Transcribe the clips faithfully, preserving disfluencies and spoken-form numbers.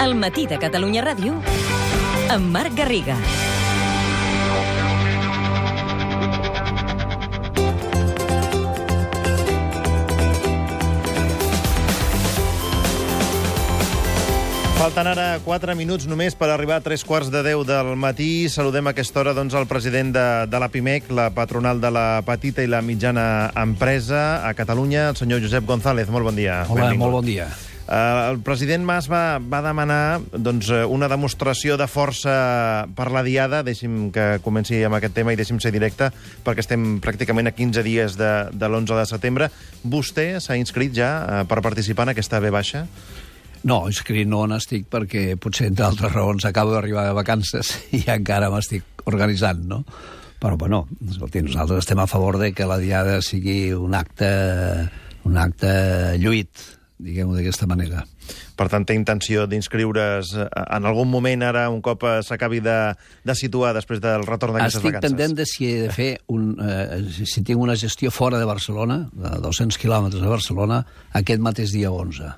El matí de Catalunya Ràdio amb Marc Garriga. Falten ara quatre minuts només per arribar a tres quarts de deu del matí. Saludem a aquesta hora doncs, el president de, de la PIMEC, la patronal de la petita i la mitjana empresa a Catalunya, el senyor Josep González. Molt bon dia. Hola, benvingut. Molt bon dia. Uh, el president Mas va, va demanar doncs, una demostració de força per la Diada. Deixi'm que comenci amb aquest tema i deixi'm ser directe, perquè estem pràcticament a quinze dies de, de l'onze de setembre. Vostè s'ha inscrit ja uh, per participar en aquesta ve baixa? No, inscrit no n'estic perquè potser, entre altres raons, acabo d'arribar de vacances i encara m'estic organitzant, no? Però, bueno, escolti, nosaltres estem a favor de que la Diada sigui un acte, un acte lluït, diguem-ho d'aquesta manera. Per tant, té intenció d'inscriure's en algun moment, ara, un cop s'acabi de, de situar després del retorn d'aquestes vacances? Estic pendent de si he de fer un, eh, si tinc una gestió fora de Barcelona, de dos-cents quilòmetres de Barcelona, aquest mateix dia onze.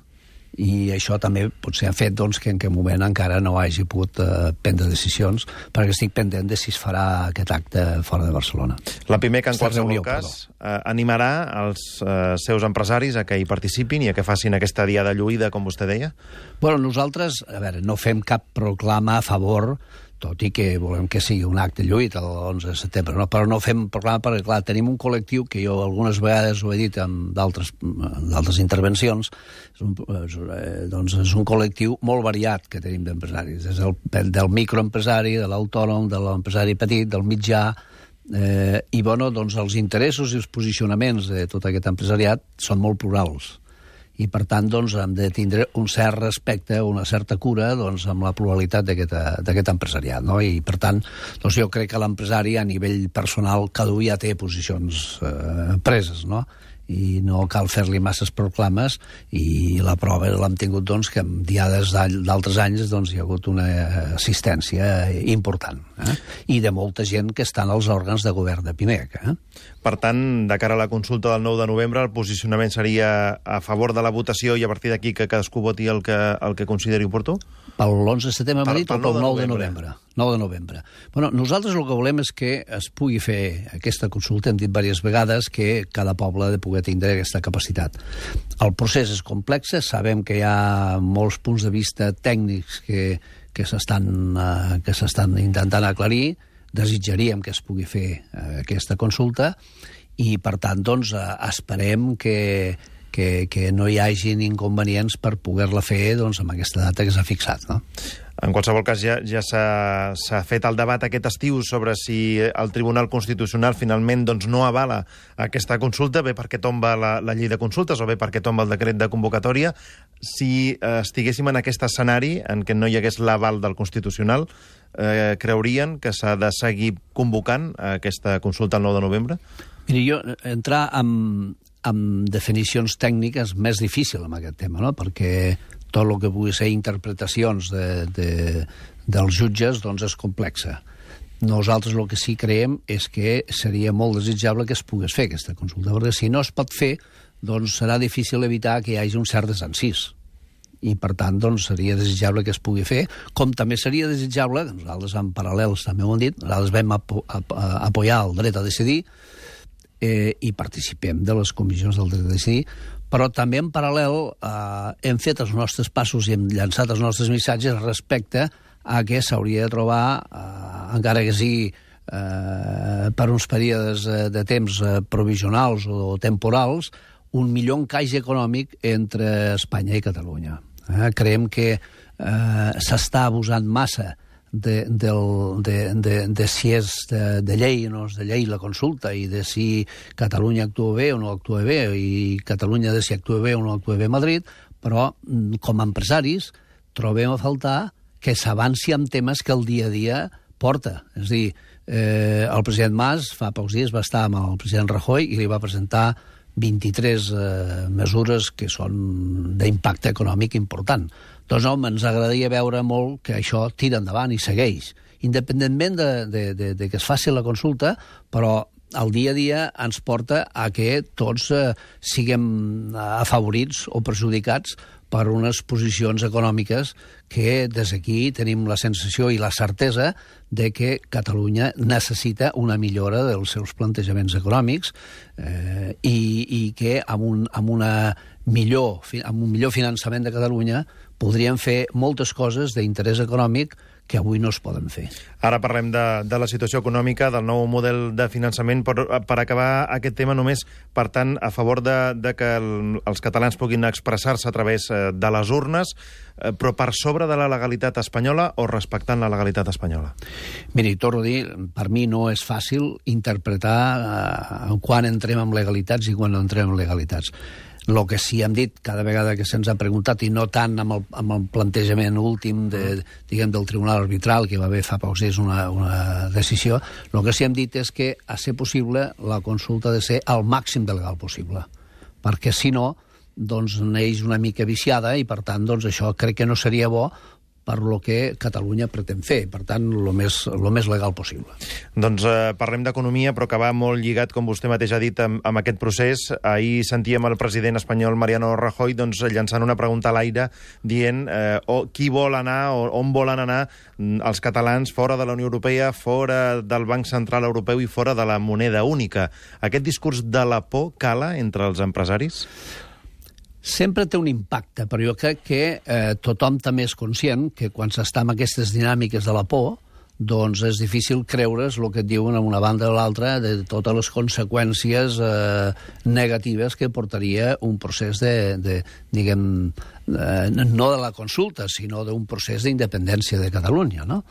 I això també potser ha fet doncs, que en aquest moment encara no hagi pogut eh, prendre decisions, perquè estic pendent de si es farà aquest acte fora de Barcelona. La PIMEC, en qualsevol reunió, cas, eh, animarà els eh, seus empresaris a que hi participin i a que facin aquesta diada lluïda, com vostè deia? Bueno, nosaltres, a veure, no fem cap proclama a favor, tot i que volem que sigui un acte lluït l'onze de setembre, no? Però no fem proclama perquè, clar, tenim un col·lectiu que jo algunes vegades ho he dit en d'altres intervencions, és un, doncs és un col·lectiu molt variat que tenim d'empresaris, des del, del microempresari, de l'autònom, de l'empresari petit, del mitjà, eh, i bueno, doncs els interessos i els posicionaments de tot aquest empresariat són molt plurals. I, per tant, doncs, hem de tindre un cert respecte, una certa cura doncs, amb la pluralitat d'aquest empresariat. No? I, per tant, doncs, jo crec que l'empresari, a nivell personal, cada un ja té posicions eh, preses, no? I no cal fer-li masses proclames, i la prova l'hem tingut doncs, que en diades d'altres anys doncs, hi ha hagut una assistència important, eh? I de molta gent que estan als òrgans de govern de PIMEC. Eh? Per tant, de cara a la consulta del nou de novembre, el posicionament seria a favor de la votació i a partir d'aquí que cadascú voti el que, el que consideri oportú? Pel l'onze de setembre m'ha dit o pel nou de novembre? nou de novembre. Bueno, nosaltres el que volem és que es pugui fer aquesta consulta, hem dit diverses vegades que cada poble ha de poder tindre aquesta capacitat. El procés és complex, sabem que hi ha molts punts de vista tècnics que, que s'estan uh, que s'estan intentant aclarir, desitjaríem que es pugui fer uh, aquesta consulta i, per tant, doncs, uh, esperem que, que, que no hi hagin inconvenients per poder-la fer doncs, amb aquesta data que s'ha fixat, no? En qualsevol cas, ja, ja s'ha fet el debat aquest estiu sobre si el Tribunal Constitucional finalment doncs, no avala aquesta consulta, bé perquè tomba la, la llei de consultes o bé perquè tomba el decret de convocatòria. Si eh, estiguéssim en aquest escenari en què no hi hagués l'aval del Constitucional, eh, creurien que s'ha de seguir convocant aquesta consulta el nou de novembre? Miri, jo entrar en, en definicions tècniques més difícil amb aquest tema, no? Perquè tot el que pugui ser interpretacions de, de, dels jutges doncs és complexa. Nosaltres el que sí creiem és que seria molt desitjable que es pogués fer aquesta consulta, perquè si no es pot fer, doncs serà difícil evitar que hi hagi un cert desencís. I, per tant, doncs, seria desitjable que es pugui fer, com també seria desitjable, que nosaltres en paral·lels també ho hem dit, nosaltres vam apo ap apoyar el dret a decidir eh, i participem de les comissions del dret a decidir, però també en paral·lel eh, hem fet els nostres passos i hem llançat els nostres missatges respecte a que s'hauria de trobar, eh, encara que sigui eh, per uns períodes de temps eh, provisionals o temporals, un millor encaix econòmic entre Espanya i Catalunya. Eh? Creiem que eh, s'està abusant massa de, del, de, de, de si és de, de llei o no és de llei la consulta i de si Catalunya actua bé o no actua bé i Catalunya de si actua bé o no actua bé a Madrid, però com a empresaris trobem a faltar que s'avanci amb temes que el dia a dia porta. És a dir, eh, el president Mas fa pocs dies va estar amb el president Rajoy i li va presentar vint-i-tres eh, mesures que són d'impacte econòmic important. Doncs, home, ens agradaria veure molt que això tira endavant i segueix, independentment de, de, de, de que es faci la consulta, però el dia a dia ens porta a que tots eh, siguem afavorits o perjudicats per unes posicions econòmiques que des d'aquí tenim la sensació i la certesa de que Catalunya necessita una millora dels seus plantejaments econòmics eh, i, i que amb un, amb, una millor, amb un millor finançament de Catalunya podríem fer moltes coses d'interès econòmic que avui no es poden fer. Ara parlem de, de la situació econòmica, del nou model de finançament, però per acabar aquest tema només, per tant, a favor de, de que el, els catalans puguin expressar-se a través de les urnes, eh, però per sobre de la legalitat espanyola o respectant la legalitat espanyola? Miri, torno a dir, per mi no és fàcil interpretar eh, quan entrem en legalitats i quan no entrem en legalitats. El que sí hem dit cada vegada que se'ns ha preguntat, i no tant amb el, amb el plantejament últim de, diguem, del Tribunal Arbitral, que va haver fa pocs dies una, una decisió, el que sí hem dit és que, a ser possible, la consulta ha de ser el màxim de legal possible, perquè si no, doncs neix una mica viciada i, per tant, doncs això crec que no seria bo per lo que Catalunya pretén fer. Per tant, el més, lo més legal possible. Doncs eh, parlem d'economia, però que va molt lligat, com vostè mateix ha dit, amb, amb aquest procés. Ahir sentíem el president espanyol Mariano Rajoy doncs, llançant una pregunta a l'aire dient eh, o, qui vol anar o on volen anar els catalans fora de la Unió Europea, fora del Banc Central Europeu i fora de la moneda única. Aquest discurs de la por cala entre els empresaris? Sempre té un impacte, però jo crec que eh, tothom també és conscient que quan s'està amb aquestes dinàmiques de la por, doncs és difícil creure's el que et diuen a una banda o l'altra de totes les conseqüències eh, negatives que portaria un procés de, de diguem, eh, no de la consulta, sinó d'un procés d'independència de Catalunya, no?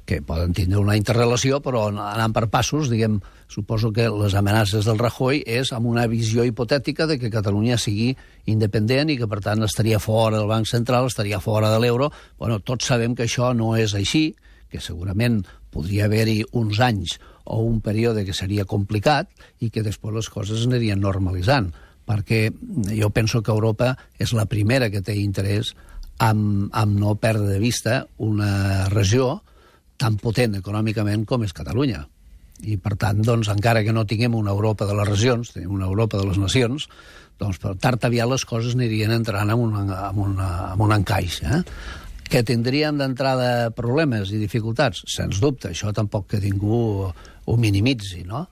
Que poden tindre una interrelació, però anant per passos, diguem, suposo que les amenaces del Rajoy és amb una visió hipotètica de que Catalunya sigui independent i que, per tant, estaria fora del Banc Central, estaria fora de l'euro. Bueno, tots sabem que això no és així, que segurament podria haver-hi uns anys o un període que seria complicat i que després les coses anirien normalitzant, perquè jo penso que Europa és la primera que té interès en, en no perdre de vista una regió tan potent econòmicament com és Catalunya. I, per tant, doncs, encara que no tinguem una Europa de les regions, tenim una Europa de les nacions, doncs, per tard aviat les coses anirien entrant en un, en una, en un encaix, eh? Que tindríem d'entrada problemes i dificultats? Sens dubte, això tampoc que ningú ho minimitzi, no?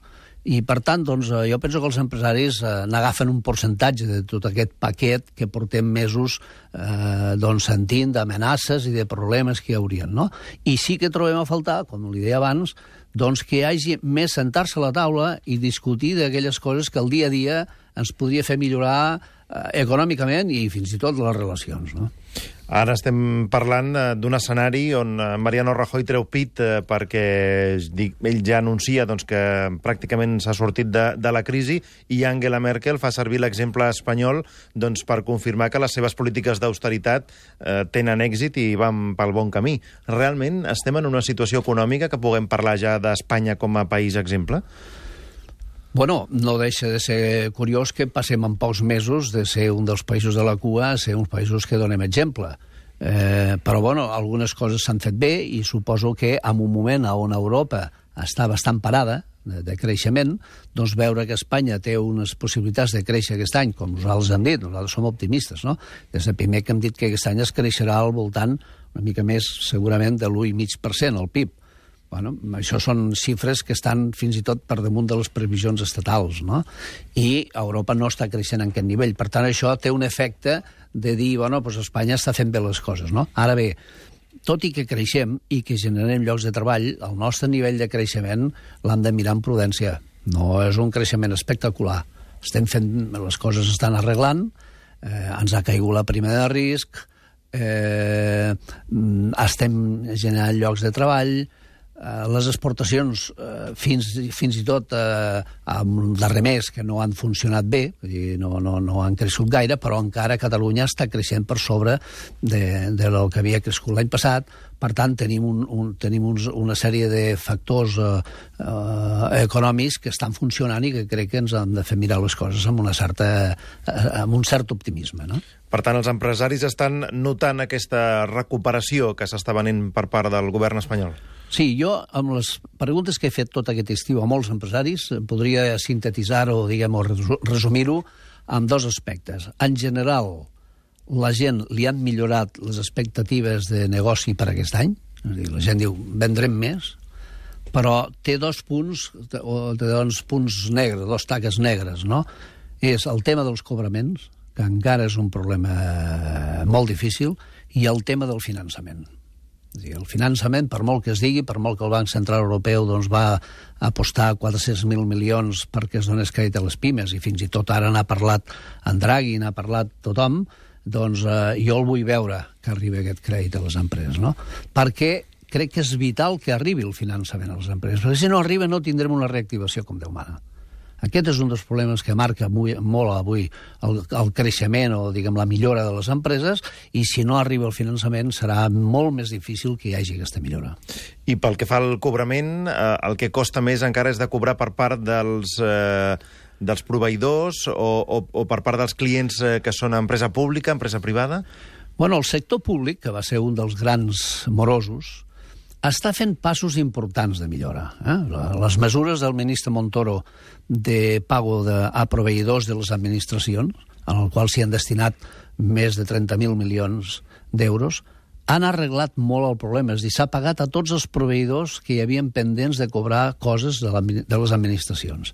I, per tant, doncs, jo penso que els empresaris eh, n'agafen un percentatge de tot aquest paquet que portem mesos eh, doncs, sentint d'amenaces i de problemes que hi haurien, no? I sí que trobem a faltar, com li deia abans, doncs que hi hagi més sentar-se a la taula i discutir d'aquelles coses que el dia a dia ens podria fer millorar eh, econòmicament i fins i tot les relacions, no? Ara estem parlant d'un escenari on Mariano Rajoy treu pit eh, perquè ell ja anuncia doncs, que pràcticament s'ha sortit de, de la crisi i Angela Merkel fa servir l'exemple espanyol doncs, per confirmar que les seves polítiques d'austeritat eh, tenen èxit i van pel bon camí. Realment estem en una situació econòmica que puguem parlar ja d'Espanya com a país exemple? Bueno, no deixa de ser curiós que passem en pocs mesos de ser un dels països de la cua a ser uns països que donem exemple. Eh, però, bueno, algunes coses s'han fet bé i suposo que en un moment on Europa està bastant parada de, de creixement, doncs veure que Espanya té unes possibilitats de créixer aquest any, com nosaltres hem dit, nosaltres som optimistes, no? Des del primer que hem dit que aquest any es creixerà al voltant una mica més, segurament, de l'u coma cinc per cent el P I B. Bueno, això són xifres que estan fins i tot per damunt de les previsions estatals, no? I Europa no està creixent en aquest nivell. Per tant, això té un efecte de dir, bueno, doncs Espanya està fent bé les coses, no? Ara bé, tot i que creixem i que generem llocs de treball, el nostre nivell de creixement l'hem de mirar amb prudència. No és un creixement espectacular. Estem fent, les coses estan arreglant, eh, ens ha caigut la prima de risc, eh, estem generant llocs de treball. Uh, les exportacions uh, fins, fins i tot uh, amb el darrer mes que no han funcionat bé, vull dir, no, no, no han crescut gaire, però encara Catalunya està creixent per sobre de, de lo que havia crescut l'any passat. Per tant, tenim, un, un, tenim uns, una sèrie de factors uh, uh, econòmics que estan funcionant i que crec que ens han de fer mirar les coses amb, una certa, uh, amb un cert optimisme, no? Per tant, els empresaris estan notant aquesta recuperació que s'està venint per part del govern espanyol? Sí, jo, amb les preguntes que he fet tot aquest estiu a molts empresaris, podria sintetitzar-ho, diguem, o resumir-ho amb dos aspectes. En general, la gent li han millorat les expectatives de negoci per aquest any, és a dir, la gent diu, vendrem més, però té dos punts, o té dos punts negres, dos taques negres, no? És el tema dels cobraments, que encara és un problema molt difícil, i el tema del finançament. És a dir, el finançament, per molt que es digui, per molt que el Banc Central Europeu doncs, va apostar quatre-cents mil milions perquè es donés crèdit a les pimes, i fins i tot ara n'ha parlat en Draghi, n'ha parlat tothom, doncs eh, jo el vull veure que arribi aquest crèdit a les empreses, no? Perquè crec que és vital que arribi el finançament a les empreses, perquè si no arriba no tindrem una reactivació com Déu mana. Aquest és un dels problemes que marca molt avui el, el creixement o, diguem, la millora de les empreses, i si no arriba el finançament serà molt més difícil que hi hagi aquesta millora. I pel que fa al cobrament, eh, el que costa més encara és de cobrar per part dels, eh, dels proveïdors o, o, o per part dels clients eh, que són empresa pública, empresa privada? Bueno, el sector públic, que va ser un dels grans morosos, està fent passos importants de millora. Eh? Les mesures del ministre Montoro de pago de, a proveïdors de les administracions, en el qual s'hi han destinat més de trenta mil milions d'euros, han arreglat molt el problema. És a dir, s'ha pagat a tots els proveïdors que hi havien pendents de cobrar coses de, la, de les administracions.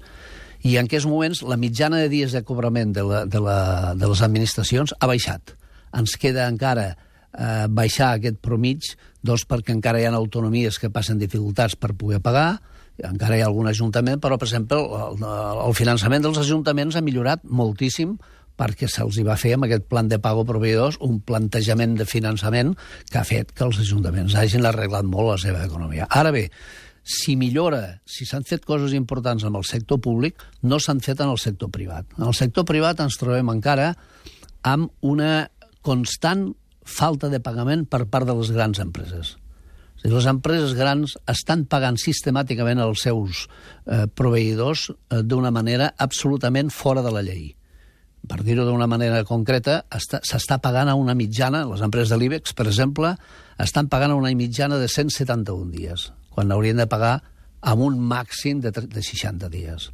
I en aquests moments la mitjana de dies de cobrament de, la, de, la, de les administracions ha baixat. Ens queda encara eh, baixar aquest promig, doncs perquè encara hi ha autonomies que passen dificultats per poder pagar, encara hi ha algun ajuntament, però, per exemple, el, el finançament dels ajuntaments ha millorat moltíssim perquè se'ls va fer amb aquest plan de pago proveïdors un plantejament de finançament que ha fet que els ajuntaments hagin arreglat molt la seva economia. Ara bé, si millora, si s'han fet coses importants amb el sector públic, no s'han fet en el sector privat. En el sector privat ens trobem encara amb una constant falta de pagament per part de les grans empreses. És a dir, les empreses grans estan pagant sistemàticament els seus eh, proveïdors eh, d'una manera absolutament fora de la llei. Per dir-ho d'una manera concreta, s'està pagant a una mitjana, les empreses de l'IBEX, per exemple, estan pagant a una mitjana de cent setanta-un dies, quan haurien de pagar amb un màxim de, de seixanta dies.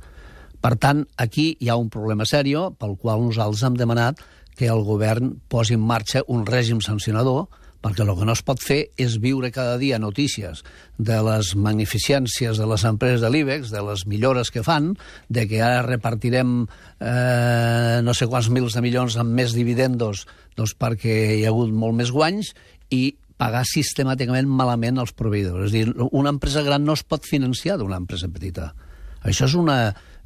Per tant, aquí hi ha un problema seriós pel qual nosaltres hem demanat que el govern posi en marxa un règim sancionador, perquè el que no es pot fer és viure cada dia notícies de les magnificències de les empreses de l'IBEX, de les millores que fan, de que ara repartirem eh, no sé quants mils de milions amb més dividendos doncs perquè hi ha hagut molt més guanys, i pagar sistemàticament malament els proveïdors. És a dir, una empresa gran no es pot financiar d'una empresa petita. Això és una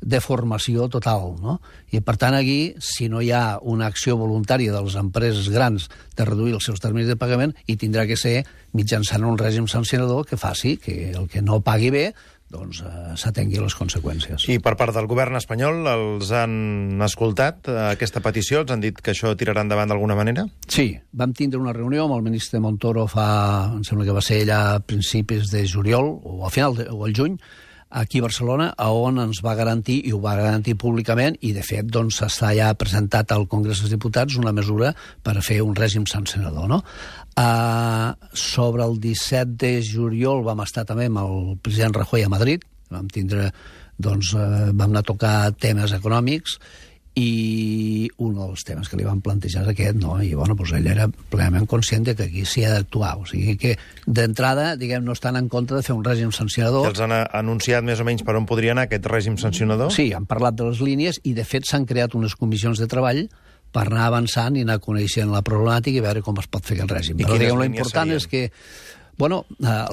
deformació total, no? I, per tant, aquí, si no hi ha una acció voluntària de les empreses grans de reduir els seus terminis de pagament, i tindrà que ser mitjançant un règim sancionador que faci que el que no pagui bé doncs eh, s'atengui les conseqüències. I per part del govern espanyol els han escoltat, eh, aquesta petició? Els han dit que això tirarà endavant d'alguna manera? Sí, vam tindre una reunió amb el ministre Montoro fa, em sembla que va ser allà a principis de juliol, o al final, de, o al juny, aquí a Barcelona, on ens va garantir, i ho va garantir públicament, i de fet doncs s'està ja presentat al Congrés dels Diputats una mesura per fer un règim sancionador, no? Uh, sobre el disset de juliol vam estar també amb el president Rajoy a Madrid, vam tindre, doncs, uh, vam anar a tocar temes econòmics, i un dels temes que li van plantejar és aquest, no? I, bueno, doncs ell era plenament conscient de que aquí s'hi ha d'actuar. O sigui que, d'entrada, diguem, no estan en contra de fer un règim sancionador. I els han anunciat més o menys per on podria anar aquest règim sancionador? Sí, han parlat de les línies i, de fet, s'han creat unes comissions de treball per anar avançant i anar coneixent la problemàtica i veure com es pot fer aquest règim. I però, diguem, l'important és que Bueno,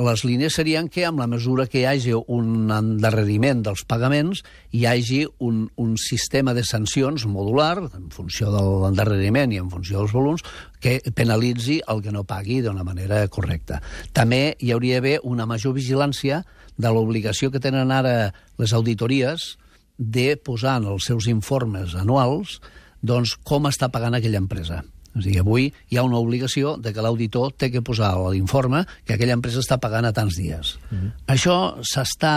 les línies serien que, amb la mesura que hi hagi un endarreriment dels pagaments, hi hagi un, un sistema de sancions modular, en funció de l'endarreriment i en funció dels volums, que penalitzi el que no pagui d'una manera correcta. També hi hauria d'haver una major vigilància de l'obligació que tenen ara les auditories de posar en els seus informes anuals doncs, com està pagant aquella empresa. És a dir, avui hi ha una obligació de que l'auditor té que posar a l'informe que aquella empresa està pagant a tants dies. Uh-huh. Això s'està,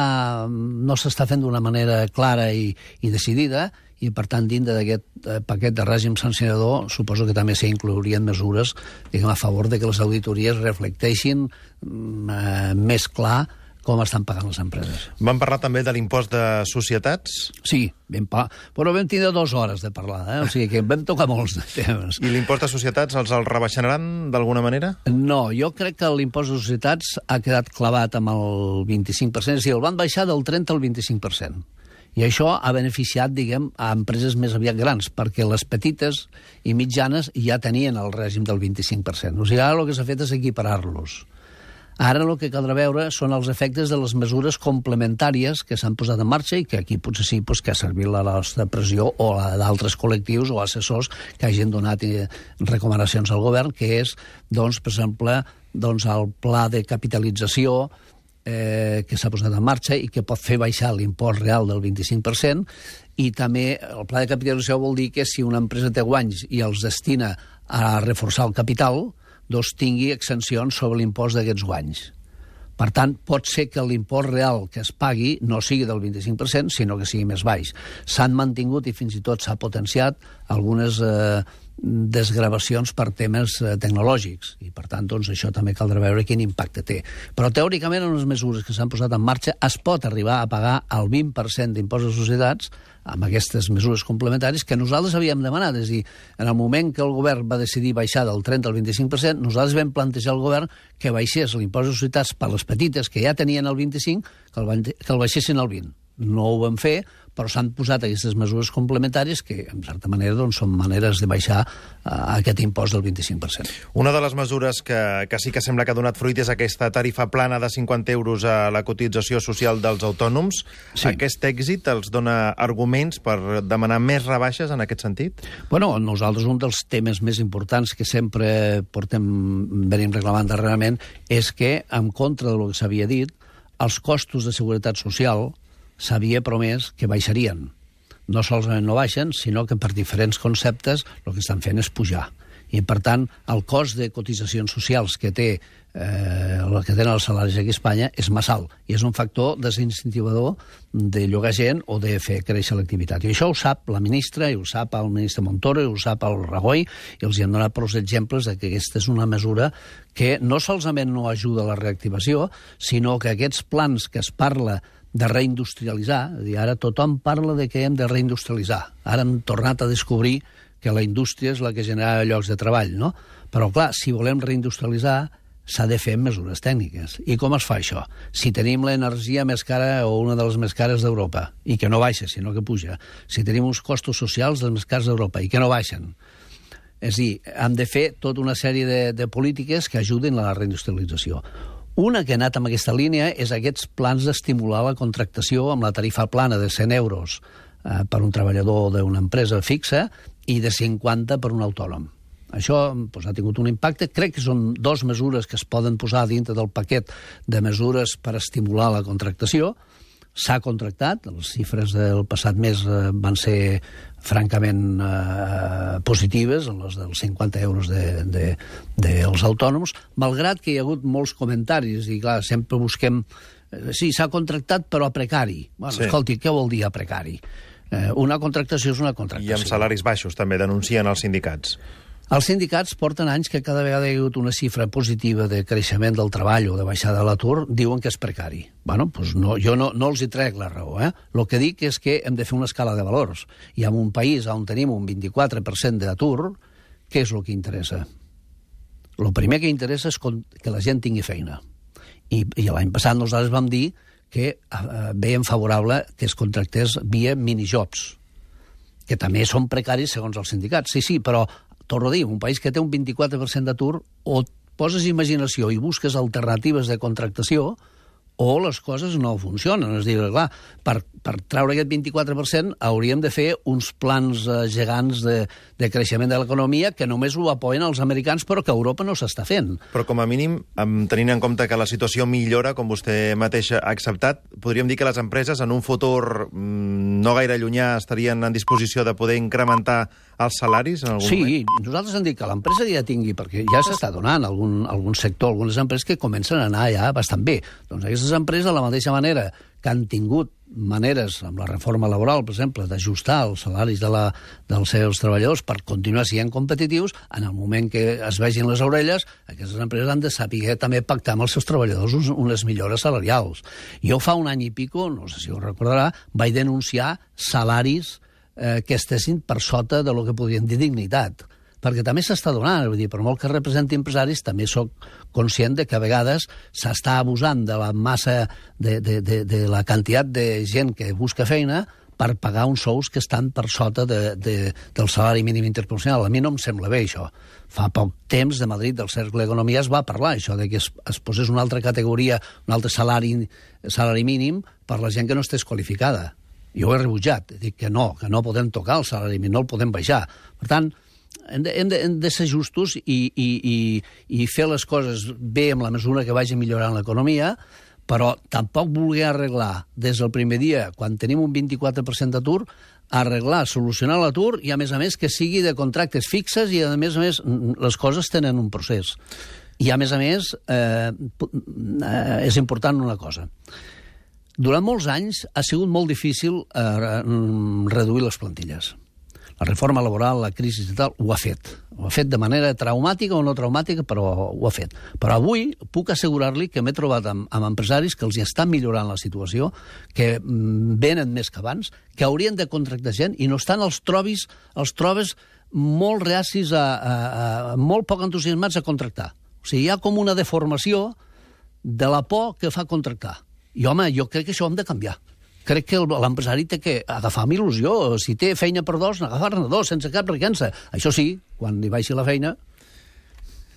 no s'està fent d'una manera clara i, i decidida, i per tant, dintre d'aquest paquet de règim sancionador, suposo que també s'hi inclourien mesures, diguem, a favor de que les auditories reflecteixin eh, més clar com estan pagant les empreses. Vam parlar també de l'impost de societats? Sí, vam parlar, però vam tindre dues hores de parlar, eh? O sigui que vam tocar molts de temes. I l'impost de societats els el rebaixaran d'alguna manera? No, jo crec que l'impost de societats ha quedat clavat amb el vint-i-cinc per cent, és a dir, el van baixar del trenta al vint-i-cinc per cent. I això ha beneficiat, diguem, a empreses més aviat grans, perquè les petites i mitjanes ja tenien el règim del vint-i-cinc per cent. O sigui, ara el que s'ha fet és equiparar-los. Ara el que caldrà veure són els efectes de les mesures complementàries que s'han posat en marxa i que aquí potser sí pues, que ha servit la nostra pressió o la d'altres col·lectius o assessors que hagin donat eh, recomanacions al govern, que és, doncs, per exemple, doncs, el pla de capitalització eh, que s'ha posat en marxa i que pot fer baixar l'impost real del vint-i-cinc per cent, i també el pla de capitalització vol dir que si una empresa té guanys i els destina a reforçar el capital, doncs tingui exencions sobre l'impost d'aquests guanys. Per tant, pot ser que l'impost real que es pagui no sigui del vint-i-cinc per cent, sinó que sigui més baix. S'han mantingut i fins i tot s'ha potenciat algunes eh, desgravacions per temes eh, tecnològics, i per tant, doncs, això també caldrà veure quin impacte té. Però teòricament, en les mesures que s'han posat en marxa, es pot arribar a pagar el vint per cent d'impost de societats amb aquestes mesures complementàries que nosaltres havíem demanat. És a dir, en el moment que el govern va decidir baixar del trenta al vint-i-cinc per cent, nosaltres vam plantejar al govern que baixés l'impost de societats per les petites, que ja tenien el vint-i-cinc, que el, que el baixessin al vint. No ho vam fer, però s'han posat aquestes mesures complementàries que, en certa manera, doncs, són maneres de baixar uh, aquest impost del vint-i-cinc per cent. Una de les mesures que, que sí que sembla que ha donat fruit és aquesta tarifa plana de cinquanta euros a la cotització social dels autònoms. Sí. Aquest èxit els dona arguments per demanar més rebaixes en aquest sentit? Bueno, nosaltres un dels temes més importants que sempre portem, venim reclamant darrerament és que, en contra del que s'havia dit, els costos de seguretat social s'havia promès que baixarien. No solament no baixen, sinó que per diferents conceptes el que estan fent és pujar. I, per tant, el cost de cotitzacions socials que té eh, el que tenen els salaris aquí a Espanya és massa alt, i és un factor desincentivador de llogar gent o de fer créixer l'activitat. I això ho sap la ministra, i ho sap el ministre Montoro, i ho sap el Rajoy, i els hi han donat prou exemples de que aquesta és una mesura que no solament no ajuda a la reactivació, sinó que aquests plans que es parla de reindustrialitzar, és a dir, ara tothom parla de que hem de reindustrialitzar. Ara hem tornat a descobrir que la indústria és la que genera llocs de treball, no? Però, clar, si volem reindustrialitzar, s'ha de fer amb mesures tècniques. I com es fa això? Si tenim l'energia més cara o una de les més cares d'Europa, i que no baixa, sinó que puja. Si tenim uns costos socials dels més cars d'Europa, i que no baixen. És a dir, hem de fer tota una sèrie de, de polítiques que ajudin a la reindustrialització. Una que ha anat amb aquesta línia és aquests plans d'estimular la contractació amb la tarifa plana de cent euros eh, per un treballador d'una empresa fixa i de cinquanta per un autònom. Això doncs, ha tingut un impacte. Crec que són dues mesures que es poden posar dintre del paquet de mesures per estimular la contractació. S'ha contractat, les xifres del passat mes eh, van ser francament eh, positives, les dels cinquanta euros dels de, de, de autònoms, malgrat que hi ha hagut molts comentaris, i clar, sempre busquem... Eh, sí, s'ha contractat, però a precari. Bueno, sí. Escolti, què vol dir a precari? Eh, una contractació és una contractació. I amb salaris baixos, també, denuncien els sindicats. Els sindicats porten anys que cada vegada hi ha hagut una xifra positiva de creixement del treball o de baixada de l'atur, diuen que és precari. Bueno, doncs no, jo no, no els hi trec la raó. Eh? El que dic és que hem de fer una escala de valors. I en un país on tenim un vint-i-quatre per cent d'atur, què és el que interessa? El primer que interessa és que la gent tingui feina. I, i l'any passat nosaltres vam dir que eh, veiem favorable que es contractés via minijobs, que també són precaris segons els sindicats. Sí, sí, però torno a dir, un país que té un vint-i-quatre per cent d'atur, o poses imaginació i busques alternatives de contractació, o les coses no funcionen. És a dir, clar, per, per treure aquest vint-i-quatre per cent hauríem de fer uns plans eh, gegants de, de creixement de l'economia que només ho apoyen els americans, però que a Europa no s'està fent. Però com a mínim, tenint en compte que la situació millora, com vostè mateix ha acceptat, podríem dir que les empreses en un futur mmm, no gaire llunyà estarien en disposició de poder incrementar els salaris en algun sí, moment? Sí, nosaltres hem dit que l'empresa ja tingui, perquè ja s'està donant algun, algun sector, algunes empreses que comencen a anar ja bastant bé. Doncs aquestes empreses, de la mateixa manera que han tingut maneres, amb la reforma laboral, per exemple, d'ajustar els salaris de la, dels seus treballadors per continuar sent competitius. En el moment que es vegin les orelles, aquestes empreses han de saber també pactar amb els seus treballadors uns, unes millores salarials. Jo fa un any i pico, no sé si ho recordarà, vaig denunciar salaris eh, que estessin per sota de lo que podríem dir dignitat, perquè també s'està donant, vull dir, per molt que representi empresaris, també sóc conscient de que a vegades s'està abusant de la massa, de, de, de, de la quantitat de gent que busca feina per pagar uns sous que estan per sota de, de, del salari mínim interprofessional. A mi no em sembla bé, això. Fa poc temps, de Madrid, del Cercle d'Economia, es va parlar, això, de que es, es posés una altra categoria, un altre salari, salari mínim per la gent que no estés qualificada. Jo ho he rebutjat, dic que no, que no podem tocar el salari mínim, no el podem baixar. Per tant, hem de, hem de, hem de ser justos i, i, i, i fer les coses bé en la mesura que vagi millorant l'economia, però tampoc voler arreglar des del primer dia, quan tenim un vint-i-quatre per cent d'atur, arreglar, solucionar l'atur i, a més a més, que sigui de contractes fixes i, a més a més, les coses tenen un procés. I, a més a més, eh, eh, és important una cosa. Durant molts anys ha sigut molt difícil eh, reduir les plantilles. La reforma laboral, la crisi i tal, ho ha fet. Ho ha fet de manera traumàtica o no traumàtica, però ho ha fet. Però avui puc assegurar-li que m'he trobat amb, amb empresaris que els hi estan millorant la situació, que venen més que abans, que haurien de contractar gent i no estan els trobis, els trobes molt reacis, a, a, a, molt poc entusiasmats a contractar. O sigui, hi ha com una deformació de la por que fa contractar. I, home, jo crec que això ho hem de canviar. Crec que l'empresari té que agafar amb il·lusió. Si té feina per dos, agafar-ne dos, sense cap recança. Això sí, quan li baixi la feina...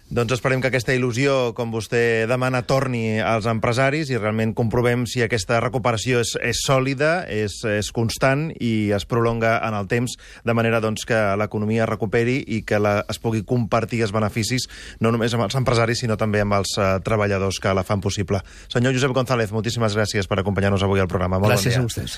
Doncs esperem que aquesta il·lusió, com vostè demana, torni als empresaris i realment comprovem si aquesta recuperació és, és sòlida, és, és constant i es prolonga en el temps, de manera doncs, que l'economia recuperi i que la, es pugui compartir els beneficis no només amb els empresaris, sinó també amb els uh, treballadors que la fan possible. Senyor Josep González, moltíssimes gràcies per acompanyar-nos avui al programa. Molt gràcies bon dia. A vostès.